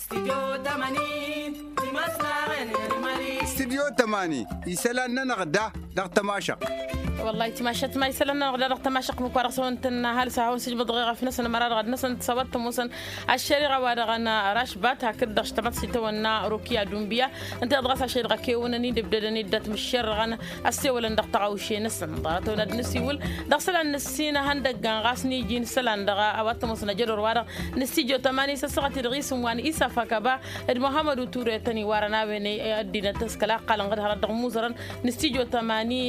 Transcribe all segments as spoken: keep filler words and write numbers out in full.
Stidyo tămani isălan-nănăɣ da dăɣ-tămašăq. Wăllah itimašăt ma isălan-nănăɣ da dăɣ-tămašăq mukwa dăɣ-săwăn tănna hal s-a hawăn-sǝjmăḍ ɣef năsăn ămăra dăɣ-ad-năsăn tăsawăt tămusăn. Ăššăriɣa wa dăɣ-nărăšbat hakd-dăɣ š-tamăḍsit tăwănna rokiya dunbiya ǝnta dăɣ-s ašăl dăɣ-kewănăn-i d-ǝbdădăn-dd dat-mǝššerrăɣăn ăssewălăn dăɣ-tăɣawše-năsăn ḍarăt-ăwăn ad-nǝsiwǝl. Dăɣ-isălan nǝssin ihăndăggan ɣas n-iji n-isălan dăɣ-a-wa t-ămoosăn ajădor-wa-dăɣ n-stijo tămani s-ăssaɣăt-dd ɣisǝm wa n-isaf akăba d-muhammăd uture tăn-iwarăn a-wen ăddinăt s-kăla ăqqalăn ɣǝd hărăt dăɣ-imuzărăn n-stijo tămani.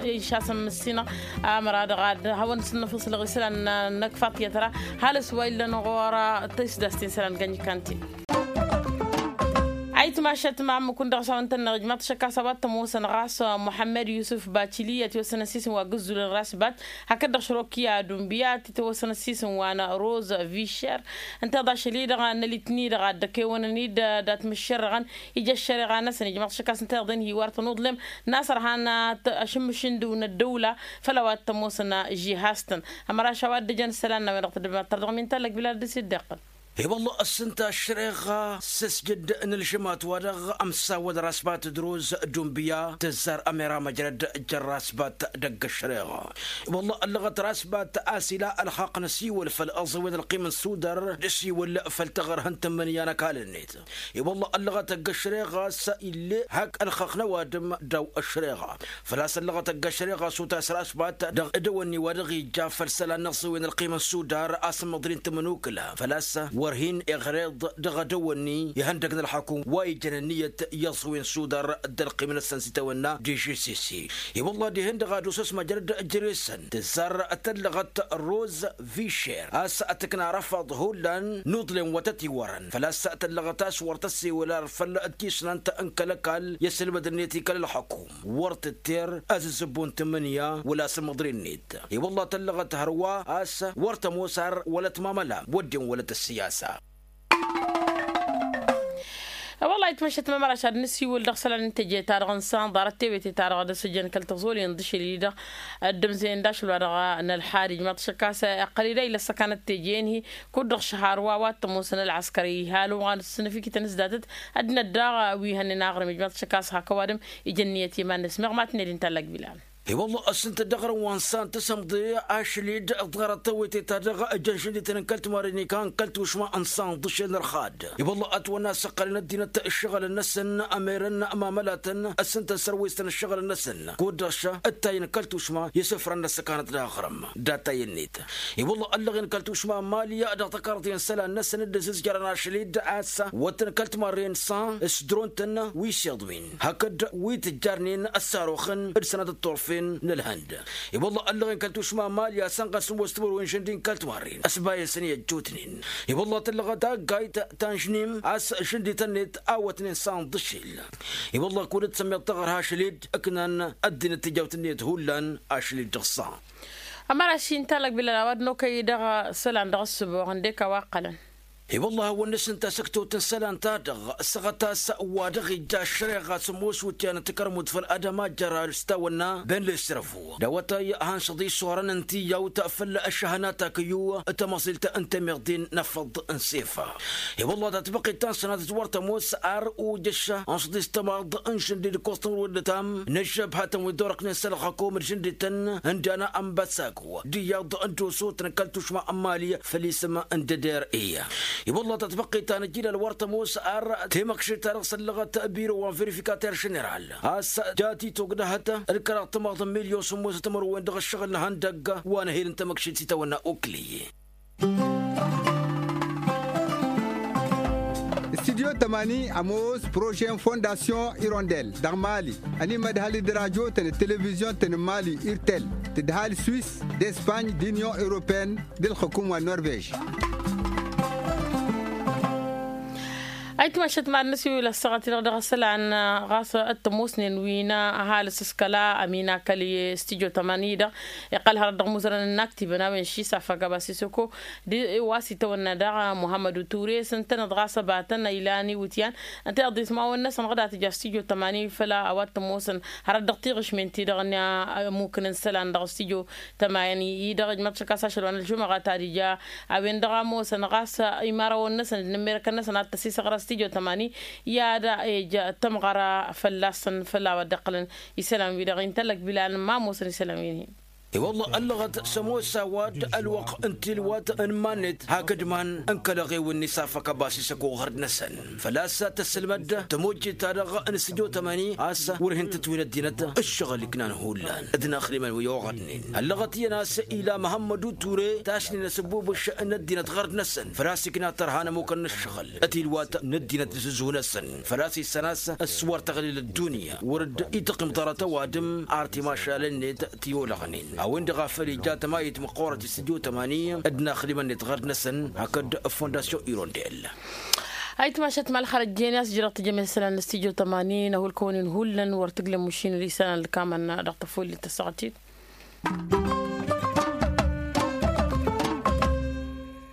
Išasăn mǝssinăɣ amăra dăɣ-ad hawăn-săn nǝfǝsǝlăɣ isălan n-ăkk faṭiyăt ra. Halǝs wa illăn ɣur-tisdast n-isălan gănj kanti. Ayǝtmašăt ma ǝmmǝk-wǝn dăɣ-s a-wa n-tănneɣ ijmaḍ-t šăkk a-s a-wa t-ămoosăn ɣas muḥămmăd yusǝf bačili ătiwăssăn ăssiisǝm wa gǝzzulăn rasbat hakd-dăɣ šrokiya dunbiya tităwăssăn ăssiisǝm wa n-roz višer. Ǝnta i-dd ašăl-i-dăɣ n-ălitni-dăɣ ad-dd-ăkewănăn-dd dat-mǝššerrăɣăn ija ăššăreɣa-năsăn ijmaḍ-t šăkk a-s ǝnta i-dd-ănhiwar tănuḍlem n-asărhan ašǝmmǝš-in-dăw n-ăddăwla făll-a-wa t-ămoosăn žihastăn. Ămăraš a-wa dd-ǝjăn isălan n-a-wen-dăɣ tăddăbnat tărdăɣ min tallăg bilal d-s-dd-iqqǝl. I-wălla ăssǝnta ăššăreɣa s-ăsjăd n-ălžămat-wa-dăɣ ămsawăd rasbat d-roz dunbiya tǝzzar ămera măjrăd jăr rasbat dăgg-ăššăreɣa. I-wălla ăllăɣăt rasbat a-s ila ălxaqq n-asiwăl făll-aẓăwen ălqim n-sudar d-asiwăl făll-taɣărhăn tǝmmǝnǝya n-ăkall-net. I-wălla ăllăɣăt ăgg-ăššăreɣa a-s ille hak ălxaqq n-ăwadǝm daw-ăššăreɣa. Făl-a-s ăllăɣăt ăgg-ăššăreɣa s-utas rasbat dăɣ-edăwănni wa dăɣ-ija făll-isălan n-aẓăwen ălqim n-sudar asǝmmăḍri n-tamănukǝla făl-a-s wăr hin-iɣreḍ dăɣ-edăwănni ihăndăg n-ălxakum wa ijăn ǝnniyăt i-aẓăwen n-sudar d-ălqim-năsăn s-itawănna d-žisisi. I-wălla dihen-dăɣ ad-osăs măjrăd ǝjresăn tǝzzar tăllăɣăt roz višer a-s tǝkna răfaḍ hullan n-uḍlem wa tăt-iwărăn făl-a-s tăllăɣăt a-s wăr tăssewăl ar făll-tisnant n-kăl-ăkall i-asǝlmăd-net i-kăl-ălxăkum wăr tǝtter azǝzzǝbbu n-tǝmmǝnǝya wăla asǝmmăḍri-net. I-wălla tăllăɣăt hărwa a-s wăr tămoos ar wălăt mamăla wădden wălăt ăssiyasa. Wăllah itmăššăt mămăraš ad-nǝsiwǝl dăɣ-isălan n-teje-ta-dăɣ n-san ḍarăt tewete-ta-dăɣ d-asǝjăn kăl-tăẓoli n-dăšel-i-dăɣ ăddămzen d-ašăl wa dăɣ-nălxad ijmaḍ-t šăkk a-s iqqăl-dd a ila ăssăkanăt teje-in-hi kud-dăɣ šăhar wa wa t-ămoosăn ălɣăskăr ihal wa n-ǝssǝnǝf ikităn s-datăt. Ăddinăt daɣ wi hănnen aɣrǝm ijmaḍ-t šăkk a-s hak ăwadǝm ijăn niyăt i-iman-năsmeɣ ma tǝnned inta n-lăgg bilal. I-wălla ăssintăt dăɣ-rǝwăn san tǝsǝmḍe ašli-dd ḍarăt tewete-ta-dăɣ ǝjăn šǝndităn n-kăl-timarren ikan kăl-tušma n-san ḍǝšel n-ărxad. I-wălla ătwănna a-s ǝqqălăn ăddinăt ǝššăɣǝlăn-năsăn ămerăn mamălatăn ăssintăn sărwestăn ǝššăɣǝlăn-năsăn kud-dăɣ šăh ǝttayăn kăl-tušma i-isǝfran n-ăssăkanăt d-aɣrǝm. D-attayăn-net i-wălla ăllăɣen kăl-tušma n-mali dăɣ-tăkarḍe n-isălan-năsăn dd-ăzǝzjărăn ašli-dd a-s wăttăn kăl-timarren san s-dron-tăn wi s-iḍwin hakd wi tǝjjarnen ăssaroxăn d-sănatăt turfen n-ălhănd. I-wălla ăllăɣen kăl-tušma n-mali a-s ănɣas n-wăr s-timǝrwen žăndi n-kăl-timarren ăsbayăsăn i-ăjjootnen. I-wălla tǝllăɣăt taggayt ta n-žnim a-s žăndi-tăn-net awătnen san ḍǝšil. I-wălla kud-dd-sămmeḍ taɣăr hašăl-dd ǝknan ăddinăt tijawt-net hullan ašăl-dd dăɣ-san. Ămăra šin talăg bilal a-wa d-nokăy dăɣ-isălan dăɣ-ǝssǝboɣ ǝndek a-wa ǝqqălăn. I-wălla a hawăn-nǝsǝnta săktăwt n-isălan-ta-dăɣ săɣăt a-s wa dăɣ-ija ăššăreɣa s-ămoos wǝtyan n-takărmut făll-adăma jăra s-tawănna ben lesrăvu d-awătay hanšăḍ isorăn n-tiyyawt făll-ăššăhănat akǝyyu. Tamăẓilt n-temeḍe n-afăḍ n-sefa i-wălla tatbăqqit ta n-sănatăt wăr tămoos ar ujăš ănšăḍ istămaḍ n-žăndi d-ǝkkoẓ tămrǝwăd d-ătam n-ăžžăbhatăn wi dd-orăknen s-ălɣăkom d-žăndităn n-dana ănbăsako d-iyyăḍ n-dosotăn kăl-tušma n-mali făll-isǝm n-dăder i-wălla tatbăqqit ta n-ăjilal wăr tămoos ar temăkšit-ta-dăɣ săllăɣăt biro wa n-verifikater ženeral a-s jat-itogdăhăt d-kăraḍ timaḍ n-milyon sǝmmosăt timărwen dăɣ-ǝššăɣǝl n-ihăndăgg wa n-ehel n-temăkšit s-itawănna okli. Studyo tămani ămoos projet n-fondasyon irondel dăɣ-mali ănimădhăl-dd rajotăn d-televizyon-tăn n-mali irtel tǝdhal swis d-espany d-inyon europene d-ǝlxǝkum wa n-norvej. Ăytmašăt mad-năsiwǝl ăssaɣăt-i-dăɣ dăɣ-isălan ɣas ăttămosnen wi n-ăhalǝs s-kăla ăminakăl i-studyo tămani-dăɣ iqqăl hărăt dăɣ-imuzărăn n-inaktibăn a-wen ši safăk abasisăko d-wa s-itawănna daɣ muhămmădu ture s-ǝntăneḍ ɣas ăbatăn ilan iwǝtyan ănta iḍismawăn-năsăn ɣǝd a tǝja studyo tămani făl a-wa t-ămoosăn hărăt dăɣ-tiɣǝšmen-ti-dăɣ n-ămukǝn n-isălan dăɣ-studyo tămani-dăɣ ijmăḍ šăkk a-s ašăl wa n-ălžumăɣa ta d-ija a-wen-dăɣ a ămoosăn ɣas imărawăn-năsăn d-inǝmmerăkăn-năsăn ad-t-ăsisăɣ ɣărăs tijo tămani i-ad-ej tămɣăra fălla-săn făll-a-wa dd-iqqălăn isălan-wi-dăɣ intăllăk bilan ma ămoosăn isălan-wi-dăɣ. I-wălla ăllăɣăt s-ămoos a-wa d-ălwăqq n-tilwat n-iman-net hakd iman n-kăl-eɣew-net s-afăk ăbas isăko ɣărd-năsăn făl-a-s tăssǝlmăd tămojjit-ta-dăɣ n-stujo tămani a-s wăr hin-tǝtwǝyăn ăddinăt ǝššăɣǝl iknan hullan d-inaxrimăn wi oɣădnen ăllăɣăt iyyăn a-s ila măhămmădu ture tašnen asǝbbubǝš n-ăddinăt ɣărd-năsăn făl-a-s ikna tărha n-ămukăn n-ǝššăɣǝl tilwat n-ăddinăt n-asǝzhu-năsăn făl-a-s issan a-s s-wăr tăɣlil ăddunya wăr dd-ităqqim ḍarăt ăwadǝm ar timašal-net ti olăɣnen a-wen-dăɣ a făl ija tămayit măqqoorăt i-studyo tămani d-inaxrimăn-net ɣărd-năsăn hakd fondasyon irondel. Ayǝtmašăt ma ălxărăjjen i-a-s jăreɣ tǝjjăm isălan n-studyo tămani n-ahulkăwăn-in hullan wăr tǝglem ušin d-isălan ălkamăn dăɣ-tăfullet tăssaɣăt-in.